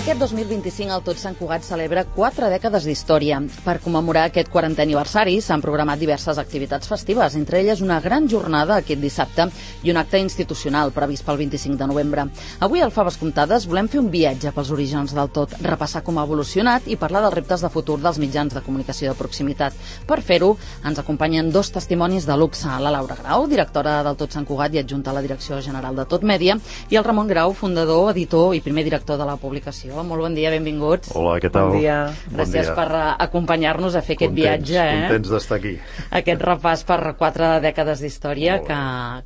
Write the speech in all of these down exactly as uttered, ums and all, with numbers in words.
Aquest dos mil vint-i-cinc el Tot Sant Cugat celebra quatre dècades d'història. Per commemorar aquest quarantè aniversari s'han programat diverses activitats festives, entre elles una gran jornada aquest dissabte i un acte institucional previst pel vint-i-cinc de novembre. Avui al Faves Comptades volem fer un viatge pels orígens del Tot, repassar com ha evolucionat i parlar dels reptes de futur dels mitjans de comunicació de proximitat. Per fer-ho ens acompanyen dos testimonis de luxe, la Laura Grau, directora del Tot Sant Cugat i adjunta a la Direcció General de Tot Mèdia, i el Ramon Grau, fundador, editor i primer director de la publicació. Molt bon dia, benvinguts. Hola, què tal? Bon dia. Gràcies bon dia. per acompanyar-nos a fer aquest contents, viatge. Eh? Contents d'estar aquí. Aquest repàs per quatre dècades d'història que,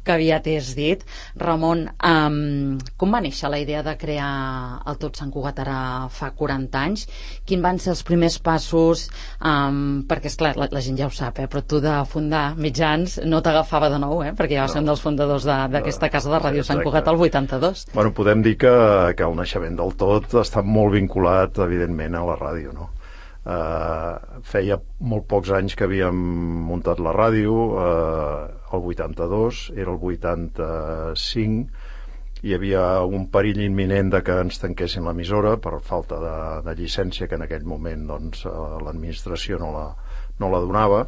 que aviat és dit. Ramon, um, com va néixer la idea de crear el Tot Sant Cugat ara fa quaranta anys? Quins van ser els primers passos? Um, perquè, esclar, la, la gent ja ho sap, eh? Però tu de fundar mitjans no t'agafava de nou, eh? Perquè ja va ser no. un dels fundadors d'aquesta casa de Ràdio Sant Cugat al vuitanta-dos. Bueno, podem dir que, que el naixement del Tot està molt vinculat, evidentment, a la ràdio, no? Uh, feia molt pocs anys que havíem muntat la ràdio, uh, el vuitanta-dos, era el vuitanta-cinc, hi havia un perill imminent de que ens tanquessin l'emissora per falta de, de llicència, que en aquell moment doncs, uh, l'administració no la, no la donava,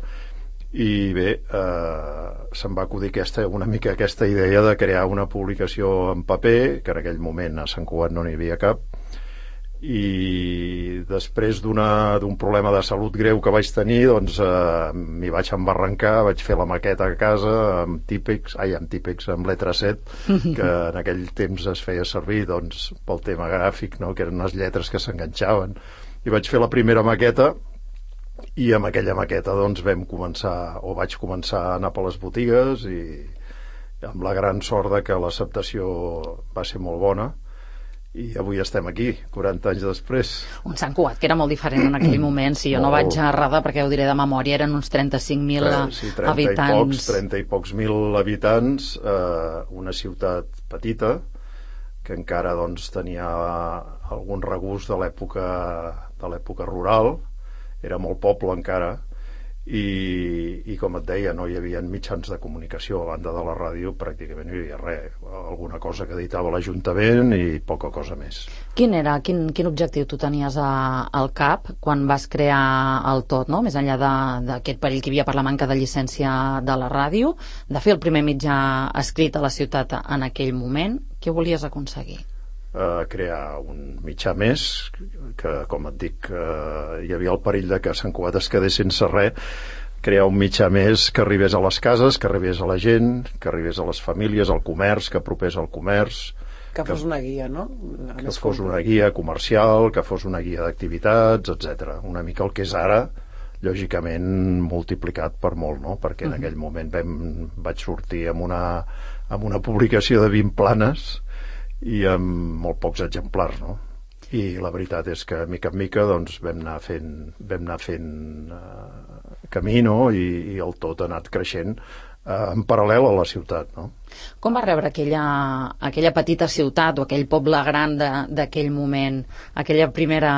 i bé, eh, se'm va acudir aquesta, una mica aquesta idea de crear una publicació en paper, que en aquell moment a Sant Cugat no n'hi havia cap, i després d'un problema de salut greu que vaig tenir, doncs eh, m'hi vaig embarrancar, vaig fer la maqueta a casa amb Típex, ai, amb Típex, amb letra set, que en aquell temps es feia servir doncs, pel tema gràfic, no? Que eren unes lletres que s'enganxaven, i vaig fer la primera maqueta, i amb aquella maqueta doncs vam començar, o vaig començar a anar per les botigues, i amb la gran sort de que l'acceptació va ser molt bona, i avui estem aquí, quaranta anys després. Un Sant Cugat que era molt diferent en aquell moment, si jo no vaig errada, perquè ho diré de memòria, eren uns trenta-cinc mil sí, trenta habitants. I pocs, trenta i pocs mil habitants, eh, una ciutat petita, que encara doncs tenia algun regust de l'època de l'època rural, era molt poble encara, i, i com et deia, no hi havia mitjans de comunicació a banda de la ràdio, pràcticament no hi havia res, alguna cosa que editava l'Ajuntament i poca cosa més. Quin era, quin, quin objectiu tu tenies a, al cap quan vas crear el Tot, no? Més enllà d'aquest perill que hi havia per la manca de llicència de la ràdio, de fer el primer mitjà escrit a la ciutat en aquell moment, què volies aconseguir? Uh, crear un mitjà més que, com et dic, uh, hi havia el perill de que Sant Cugat es quedés sense res, crear un mitjà més que arribés a les cases, que arribés a la gent, que arribés a les famílies, al comerç, que apropés al comerç, que fos una guia, no? Que fos una guia comercial, que fos una guia d'activitats, etcètera. Una mica el que és ara, lògicament multiplicat per molt, no? Perquè en aquell moment vam, vaig sortir amb una, amb una publicació de vint planes i amb molt pocs exemplars, no? I la veritat és que mica en mica doncs, vam anar fent, vam anar fent uh, camí, no? I, i el Tot ha anat creixent uh, en paral·lel a la ciutat, no? Com va rebre aquella, aquella petita ciutat o aquell poble gran d'aquell moment, aquella primera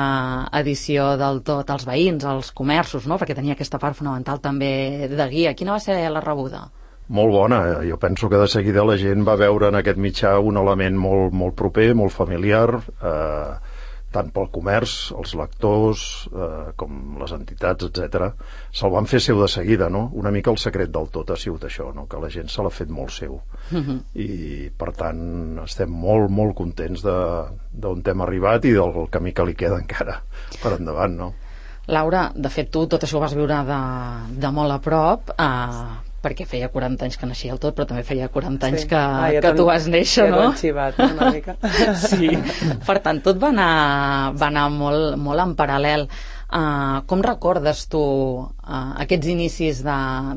edició del Tot, els veïns, els comerços, no? Perquè tenia aquesta part fonamental també de guia. Quina va ser la rebuda? Molt bona, jo penso que de seguida la gent va veure en aquest mitjà un element molt, molt proper, molt familiar, eh, tant pel comerç, els lectors, eh, com les entitats, etcètera. Se'l van fer seu de seguida, no? Una mica el secret del Tot ha sigut això, no? Que la gent se l'ha fet molt seu. Uh-huh. I, per tant, estem molt, molt contents d'on hem arribat i del camí que li queda encara per endavant, no? Laura, de fet, tu tot això ho vas viure de, de molt a prop, eh, perquè feia quaranta anys que naixia el Tot, però també feia quaranta anys que, ah, ja que tu vas néixer, ja no? Ja xivat, una mica. Sí, per tant, tot va anar, va anar molt, molt en paral·lel. Uh, com recordes tu uh, aquests inicis de,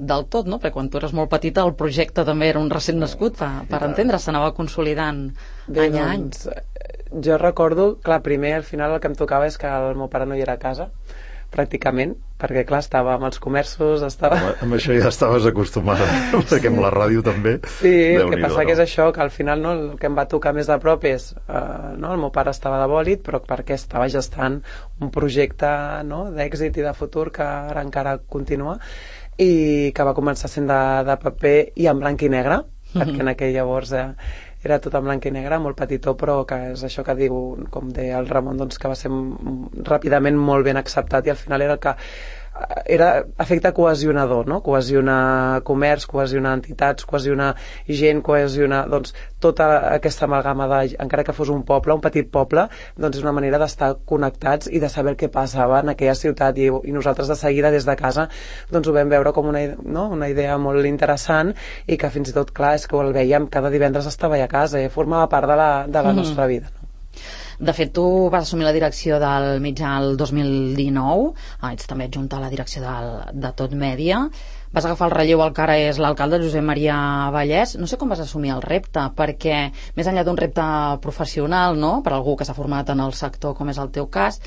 del Tot, no? Perquè quan tu eres molt petita el projecte també era un recent nascut, per, per entendre, s'anava consolidant Bé, any a any. Doncs, jo recordo, clar, primer al final el que em tocava és que el meu pare no hi era a casa, pràcticament, perquè clar, estava amb els comerços, estava... Amb, amb això ja estaves acostumada, perquè amb la ràdio també. Sí, el que passa no? que és això, que al final no, el que em va tocar més de prop és, uh, no, el meu pare estava de bòlit, però perquè estava gestant un projecte, no, d'èxit i de futur que ara encara continua, i que va començar sent de, de paper i en blanc i negre, mm-hmm. perquè en aquell llavors eh, era tot en blanc i negre, molt petitó, però que és això que diu, com deia el Ramon, doncs, que va ser ràpidament molt ben acceptat, i al final era el que era efecte cohesionador, no? Cohesionar comerç, cohesionar entitats, cohesionar gent, cohesionar, doncs, tota aquesta amalgama de, encara que fos un poble, un petit poble, doncs és una manera d'estar connectats i de saber què passava en aquella ciutat, i, i nosaltres de seguida des de casa doncs ho vam veure com una, no? una idea molt interessant, i que fins i tot, clar, és que el veiem cada divendres estava a casa, i formava part de la, de la mm. nostra vida, no? De fet, tu vas assumir la direcció del mitjà el dos mil dinou, ah, ets també adjunta a la direcció del, de Tot Mèdia, vas agafar el relleu al que ara és l'alcalde Josep Maria Vallès. No sé com vas assumir el repte, perquè més enllà d'un repte professional, no?, per algú que s'ha format en el sector, com és el teu cas,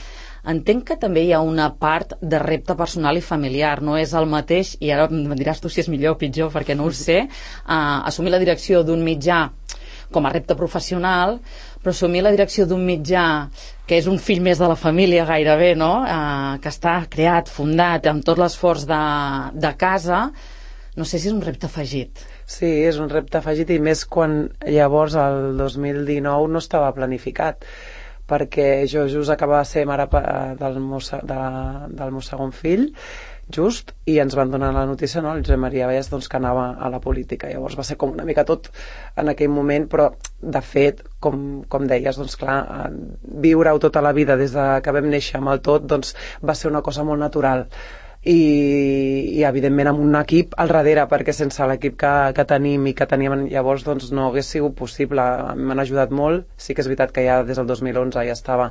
entenc que també hi ha una part de repte personal i familiar. No és el mateix, i ara em diràs tu si és millor o pitjor, perquè no ho sé, uh, assumir la direcció d'un mitjà com a repte professional, però assumir la direcció d'un mitjà que és un fill més de la família gairebé, no?, eh, que està creat, fundat amb tot l'esforç de, de casa, no sé si és un repte afegit. Sí, és un repte afegit, i més quan llavors el dos mil dinou no estava planificat, perquè jo just acabava de ser mare del meu, de, del meu segon fill, just, i ens van donar la notícia, no?, el Josep Maria Vallès, doncs, que anava a la política. Llavors va ser com una mica tot en aquell moment, però de fet, com, com deies, doncs clar, viure-ho tota la vida des de que vam néixer amb el Tot, doncs va ser una cosa molt natural. I, i evidentment amb un equip al darrere, perquè sense l'equip que, que tenim i que teníem llavors, doncs no hagués sigut possible. M'han ajudat molt. Sí que és veritat que ja des del dos mil onze ja estava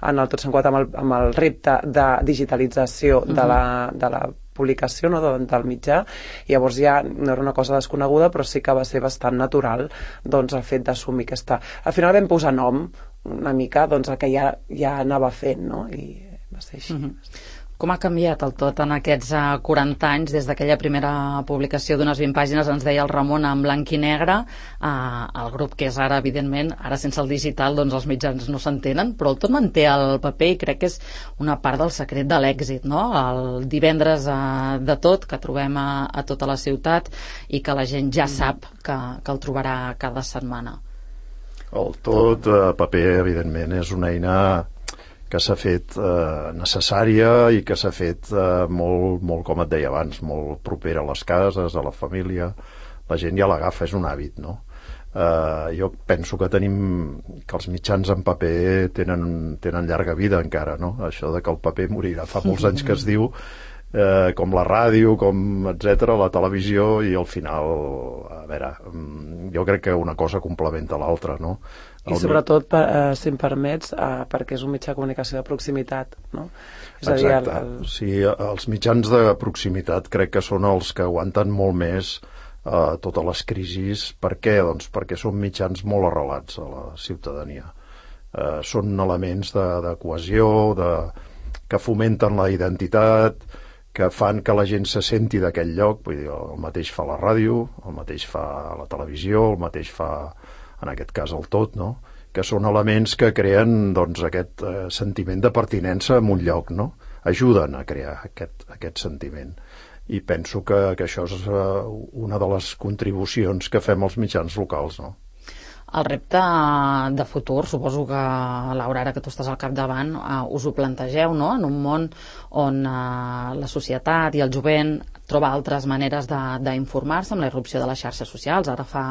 en el Tot cent quatre amb el, amb el repte de digitalització de la, de la publicació, no?, de, del mitjà. Llavors ja no era una cosa desconeguda, però sí que va ser bastant natural, doncs, el fet d'assumir aquesta... Al final vam posar nom una mica, doncs, el que ja, ja anava fent, no?, i va ser així. Mm-hmm. Com ha canviat el Tot en aquests uh, quaranta anys, des d'aquella primera publicació d'unes vint pàgines, ens deia el Ramon, en blanc i negre, uh, el grup que és ara, evidentment, ara sense el digital, doncs els mitjans no s'entenen, però el Tot manté el paper, i crec que és una part del secret de l'èxit, no?, el divendres uh, de Tot, que trobem a, a tota la ciutat, i que la gent ja sap que, que el trobarà cada setmana. El Tot, uh, paper, evidentment, és una eina que s'ha fet eh, necessària, i que s'ha fet eh, molt, molt, com et deia abans, molt propera a les cases, a la família. La gent ja l'agafa, és un hàbit, no? Eh, jo penso que tenim que els mitjans en paper tenen, tenen llarga vida encara, no? Això de que el paper morirà fa molts anys que es diu, eh, com la ràdio, com etcètera, la televisió, i al final, a veure, jo crec que una cosa complementa l'altra, no? I sobretot, per, eh, si em permets, eh, perquè és un mitjà de comunicació de proximitat, no? És Exacte. A dir, el, el... Sí, els mitjans de proximitat crec que són els que aguanten molt més eh, totes les crisis. Per què? Doncs perquè són mitjans molt arrelats a la ciutadania. Eh, són elements de, de cohesió, de, que fomenten la identitat, que fan que la gent se senti d'aquell lloc. Vull dir, el mateix fa la ràdio, el mateix fa la televisió, el mateix fa, en aquest cas, el Tot, no?, que són elements que creen, doncs, aquest eh, sentiment de pertinença en un lloc, no? Ajuden a crear aquest, aquest sentiment. I penso que, que això és eh, una de les contribucions que fem als mitjans locals, no? El repte de futur, suposo que, Laura, ara que tu estàs al capdavant, uh, us ho plantegeu, no?, en un món on uh, la societat i el jovent troba altres maneres d'informar-se, amb la irrupció de les xarxes socials, ara fa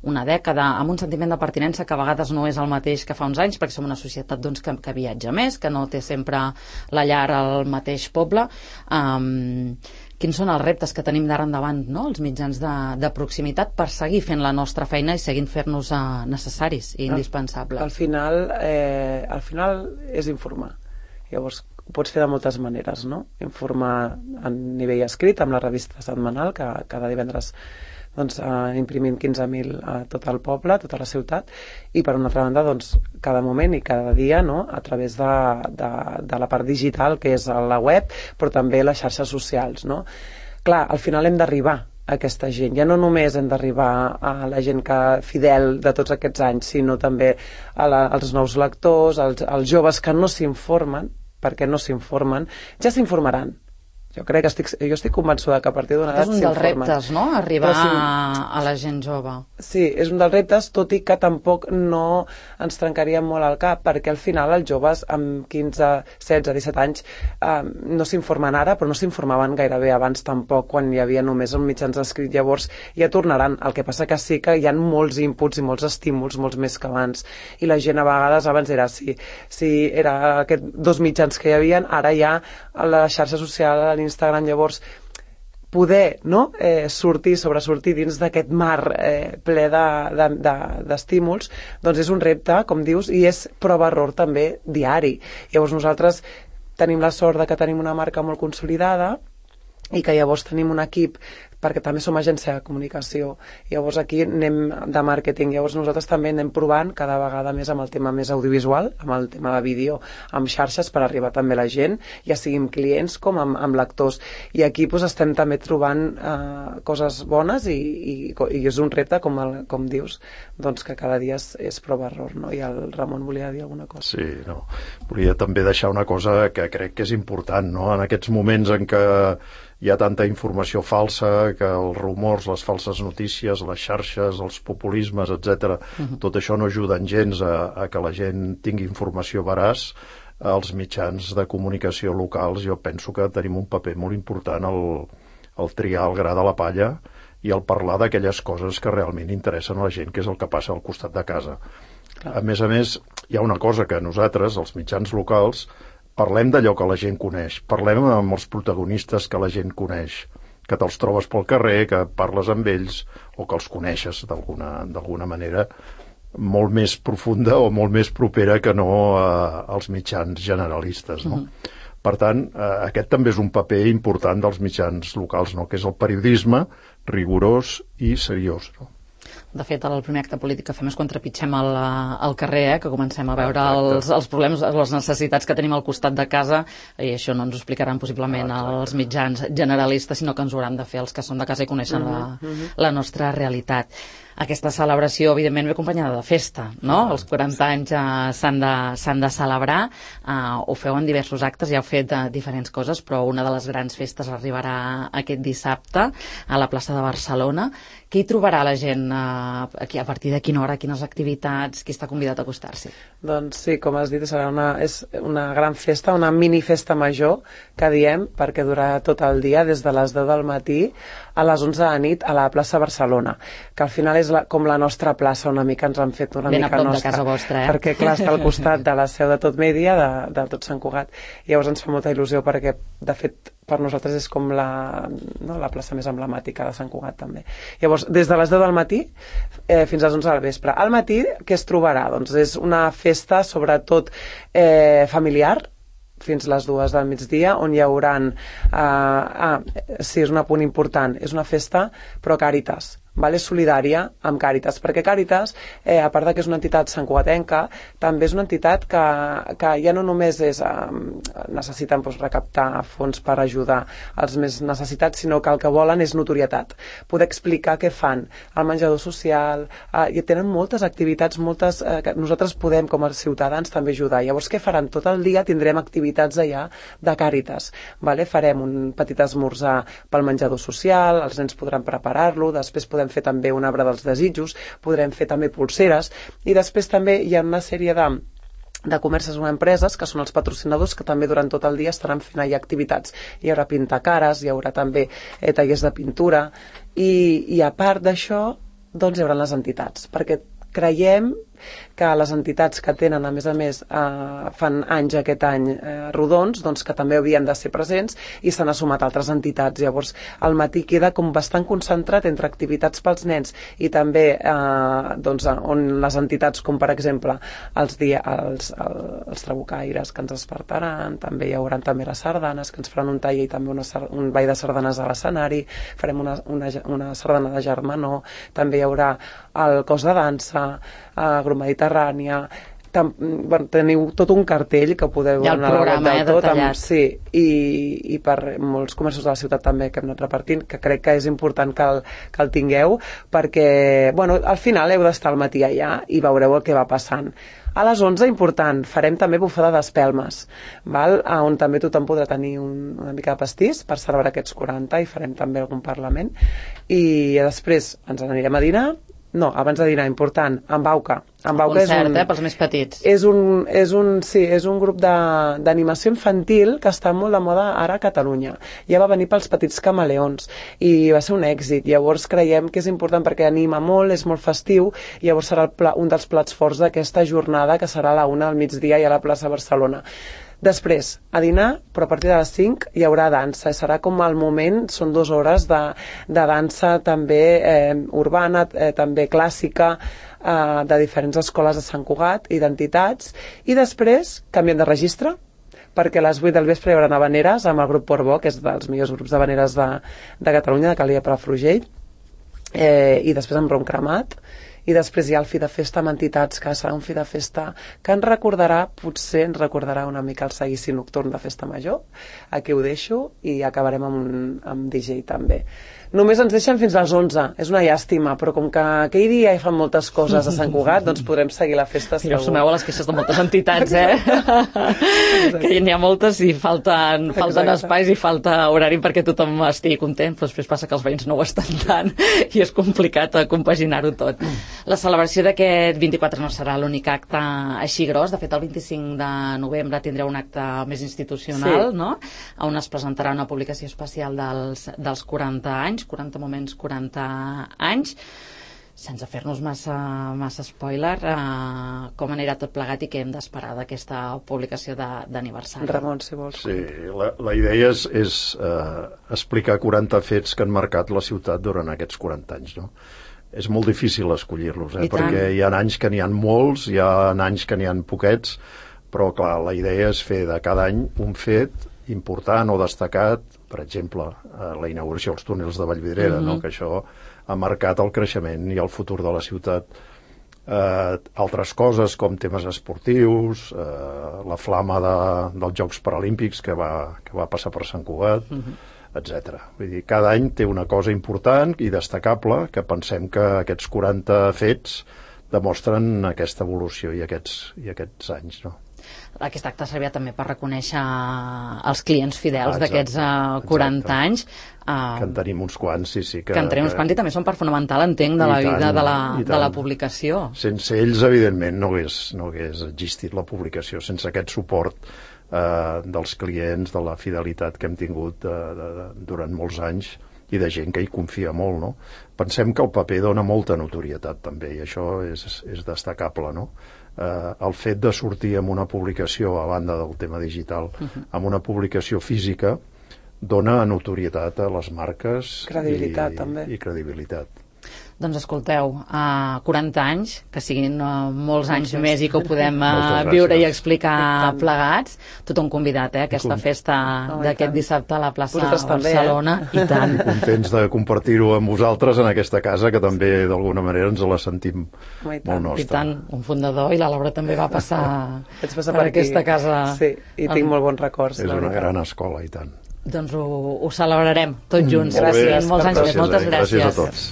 una dècada, amb un sentiment de pertinença que a vegades no és el mateix que fa uns anys, perquè som una societat, doncs, que, que viatja més, que no té sempre la llar al mateix poble. Um, quins són els reptes que tenim d'ara endavant, no?, els mitjans de, de proximitat, per seguir fent la nostra feina i seguint fer-nos uh, necessaris i indispensables? Al final, eh, al final és informar. Llavors, ho pots fer de moltes maneres, no? Informar a nivell escrit, amb la revista setmanal, que cada divendres, doncs, eh, imprimim quinze mil a tot el poble, a tota la ciutat, i per una altra banda, doncs, cada moment i cada dia, no?, a través de, de, de la part digital, que és la web, però també les xarxes socials, no? Clar, al final hem d'arribar a aquesta gent. Ja no només hem d'arribar a la gent que fidel de tots aquests anys, sinó també a la, als nous lectors, als, als joves que no s'informen, perquè no s'informen, ja s'informaran, jo crec que estic, jo estic convençuda que a partir d'una edat s'informen. És un dels reptes, no?, arribar si... a la gent jove. Sí, és un dels reptes, tot i que tampoc no ens trencaria molt el cap, perquè al final els joves amb quinze, setze, disset anys eh, no s'informen ara, però no s'informaven gairebé abans tampoc, quan hi havia només els mitjans escrits. Llavors ja tornaran. El que passa que sí que hi ha molts inputs i molts estímuls, molts més que abans, i la gent a vegades abans era si, si era aquests dos mitjans que hi havia, ara ja a la xarxa social, a l'Instagram, llavors poder, no?, eh, sortir, sobresortir dins d'aquest mar eh, ple d'estímuls, de, de, doncs és un repte, com dius, i és prova-error també diari. Llavors nosaltres tenim la sort de que tenim una marca molt consolidada i que llavors tenim un equip, perquè també som agència de comunicació. Llavors aquí anem de màrqueting, llavors nosaltres també anem provant cada vegada més amb el tema més audiovisual, amb el tema de vídeo, amb xarxes per arribar també a la gent, ja siguin clients com amb, amb lectors. I aquí doncs, estem també trobant eh, coses bones i, i, i és un repte, com, el, com dius, doncs que cada dia és, és prova-error, no? I el Ramon volia dir alguna cosa. Sí, no. Volia també deixar una cosa que crec que és important, no? En aquests moments en què hi ha tanta informació falsa, que els rumors, les falses notícies, les xarxes, els populismes, etcètera, uh-huh. tot això no ajuden gens a, a que la gent tingui informació veraç. Els mitjans de comunicació locals, jo penso que tenim un paper molt important al, al triar el gra de la palla i al parlar d'aquelles coses que realment interessen a la gent, que és el que passa al costat de casa. Clar. A més a més, hi ha una cosa que nosaltres, els mitjans locals, parlem d'allò que la gent coneix, parlem amb els protagonistes que la gent coneix, que te'ls trobes pel carrer, que parles amb ells o que els coneixes d'alguna d'alguna manera molt més profunda o molt més propera que no eh, als mitjans generalistes, no? Uh-huh. Per tant, eh, aquest també és un paper important dels mitjans locals, no? Que és el periodisme rigorós i seriós, no? De fet, el primer acte polític que fem és quan trepitgem al, al carrer, eh, que comencem a veure els, els problemes, les necessitats que tenim al costat de casa, i això no ens ho explicaran possiblement ah, els mitjans generalistes, sinó que ens ho hauran de fer els que són de casa i coneixen uh-huh, la, uh-huh. la nostra realitat. Aquesta celebració, evidentment, ve acompanyada de festa, no? Els quaranta anys eh, s'han de, s'han de celebrar, eh, ho feu en diversos actes, ja heu fet eh, diferents coses, però una de les grans festes arribarà aquest dissabte a la plaça de Barcelona. Què hi trobarà la gent eh, aquí, a partir de quina hora, quines activitats, qui està convidat a acostar-s'hi? Doncs sí, com has dit, serà una, és una gran festa, una mini festa major, que diem, perquè durarà tot el dia, des de les deu del matí a les onze de la nit a la plaça Barcelona, que al final és la, com la nostra plaça, una mica ens han fet una ben mica nostra. Ben a prop nostra, de casa vostra, eh? Perquè clar, està al costat de la seu de Tot Mèdia, de, de Tot Sant Cugat. Llavors ens fa molta il·lusió perquè, de fet, per nosaltres és com la, no, la plaça més emblemàtica de Sant Cugat també. Llavors, des de les deu del matí eh, fins a les onze del vespre. Al matí, què es trobarà? Doncs és una festa, sobretot eh, familiar, fins les dues del migdia, on hi haurà... Eh, ah, sí, és un apunt important, és una festa pro Càritas, vale? Solidària amb Càritas, perquè Càritas, eh, a part de que és una entitat santcugatenca, també és una entitat que, que ja no només és, eh, necessiten doncs, recaptar fons per ajudar els més necessitats, sinó que el que volen és notorietat, poder explicar què fan, el menjador social, eh, i tenen moltes activitats, moltes, eh, que nosaltres podem com a ciutadans també ajudar. Llavors què faran? Tot el dia tindrem activitats allà de Càritas, vale? Farem un petit esmorzar pel menjador social, els nens podran preparar-lo, després podem fer també un arbre dels desitjos, podrem fer també pulseres, i després també hi ha una sèrie de de comerços o empreses que són els patrocinadors que també durant tot el dia estaran fent allà activitats. Hi haurà pintacares, hi haurà també eh, tallers de pintura, i, i a part d'això doncs hi haurà les entitats, perquè creiem que les entitats que tenen, a més a més, eh, fan anys aquest any eh, rodons, doncs que també havien de ser presents, i s'han assumat altres entitats. Llavors, al matí queda com bastant concentrat entre activitats pels nens i també eh, doncs, on les entitats, com per exemple els, dia, els, els trabucaires que ens despertaran, també hi haurà també les sardanes, que ens faran un taller i també una, un ball de sardanes a l'escenari, farem una, una, una sardana de germanor, també hi haurà el cos de dansa, eh, Mediterrània, tam, bueno, teniu tot un cartell que podeu anar a la web del tot, amb, sí, i, i per molts comerços de la ciutat també que hem anat repartint, que crec que és important que el, que el tingueu, perquè bueno, al final heu d'estar al matí allà i veureu el que va passant. A les onze, important, farem també bufada d'espelmes, val? On també tothom podrà tenir un, una mica de pastís per celebrar aquests quaranta, i farem també algun parlament. I després ens n'anirem a dinar. No, abans de dinar, important, amb Bauca. Amb Bauca concert, és un, eh, pels més petits. És un, és un, sí, és un grup d'animació infantil que està molt de moda ara a Catalunya. Ja va venir pels petits camaleons i va ser un èxit. Llavors creiem que és important perquè anima molt, és molt festiu, i llavors serà el pla, un dels plats forts d'aquesta jornada, que serà a la una del migdia i a la plaça Barcelona. Després, a dinar, però a partir de les cinc hi haurà dansa. Serà com el moment, són dues hores de, de dansa també eh, urbana, eh, també clàssica, eh, de diferents escoles de Sant Cugat i d'entitats. I després canviem de registre, perquè a les vuit del vespre hi haurà habaneres amb el grup Portbó, que és dels millors grups d'habaneres de, de Catalunya, de Calia Palafrugell, eh, i després amb rom cremat. I després hi ha el fi de festa amb entitats, que serà un fi de festa que ens recordarà, potser ens recordarà una mica el seguici nocturn de Festa Major. Aquí ho deixo, i acabarem amb, un, amb D J també. Només ens deixen fins a les onze, és una llàstima, però com que aquell dia hi fan moltes coses a Sant Cugat, doncs podrem seguir la festa segur. I us sumeu a les queixes de moltes entitats, eh? Que n'hi ha moltes i falten, falten espais i falta horari perquè tothom estigui content, però després passa que els veïns no ho estan tant i és complicat compaginar-ho tot. La celebració d'aquest vint-i-quatre no serà l'únic acte així gros. De fet, el vint-i-cinc de novembre tindreu un acte més institucional, sí, no? On es presentarà una publicació especial dels, dels quaranta anys, quaranta moments, quaranta anys. Sense fer-nos massa, massa spoiler, eh, com anirà tot plegat i què hem d'esperar d'aquesta publicació d'aniversari? Ramon, si vols. Sí, la, la idea és, és eh, explicar quaranta fets que han marcat la ciutat durant aquests quaranta anys, no? És molt difícil escollir-los, eh? Perquè hi ha anys que n'hi ha molts, hi ha anys que n'hi ha poquets, però clar, la idea és fer de cada any un fet important o destacat, per exemple, la inauguració dels túnels de Vallvidrera, mm-hmm. no? Que això ha marcat el creixement i el futur de la ciutat. Eh, altres coses com temes esportius, eh, la flama de, dels Jocs Paralímpics que va, que va passar per Sant Cugat, mm-hmm. etcètera. Vull dir, cada any té una cosa important i destacable que pensem que aquests quaranta fets demostren aquesta evolució i aquests, i aquests anys, no? Aquest acte servia també per reconèixer els clients fidels ah, d'aquests uh, quaranta exacte. Anys. Uh, que en tenim uns quants, sí, sí. Que, que en tenim uns quants i també són part fonamental, entenc, de la tant, vida de la, de la publicació. Sense ells, evidentment, no hagués, no hagués existit la publicació, sense aquest suport uh, dels clients, de la fidelitat que hem tingut uh, de, de, durant molts anys i de gent que hi confia molt, no? Pensem que el paper dona molta notorietat, també, i això és, és destacable, no? Eh, el fet de sortir amb una publicació, a banda del tema digital, uh-huh. amb una publicació física, dona notorietat a les marques credibilitat, i, també. i credibilitat. Doncs escolteu, uh, quaranta anys, que siguin uh, molts anys més i que ho podem uh, viure i explicar plegats. Tothom convidat, eh, a aquesta festa oh, d'aquest dissabte a la plaça Barcelona. També, eh? I tant. Contents de compartir-ho amb vosaltres en aquesta casa, que també d'alguna manera ens la sentim oh, molt nostra. I tant, un fundador, i la Laura també va passar, passar per, per aquesta casa. Sí, i tinc amb... molt bons records. És una gran escola, i tant. Doncs ho, ho celebrarem tots junts. Mm, gràcies. Molts anys més, moltes gràcies. gràcies. Gràcies a tots.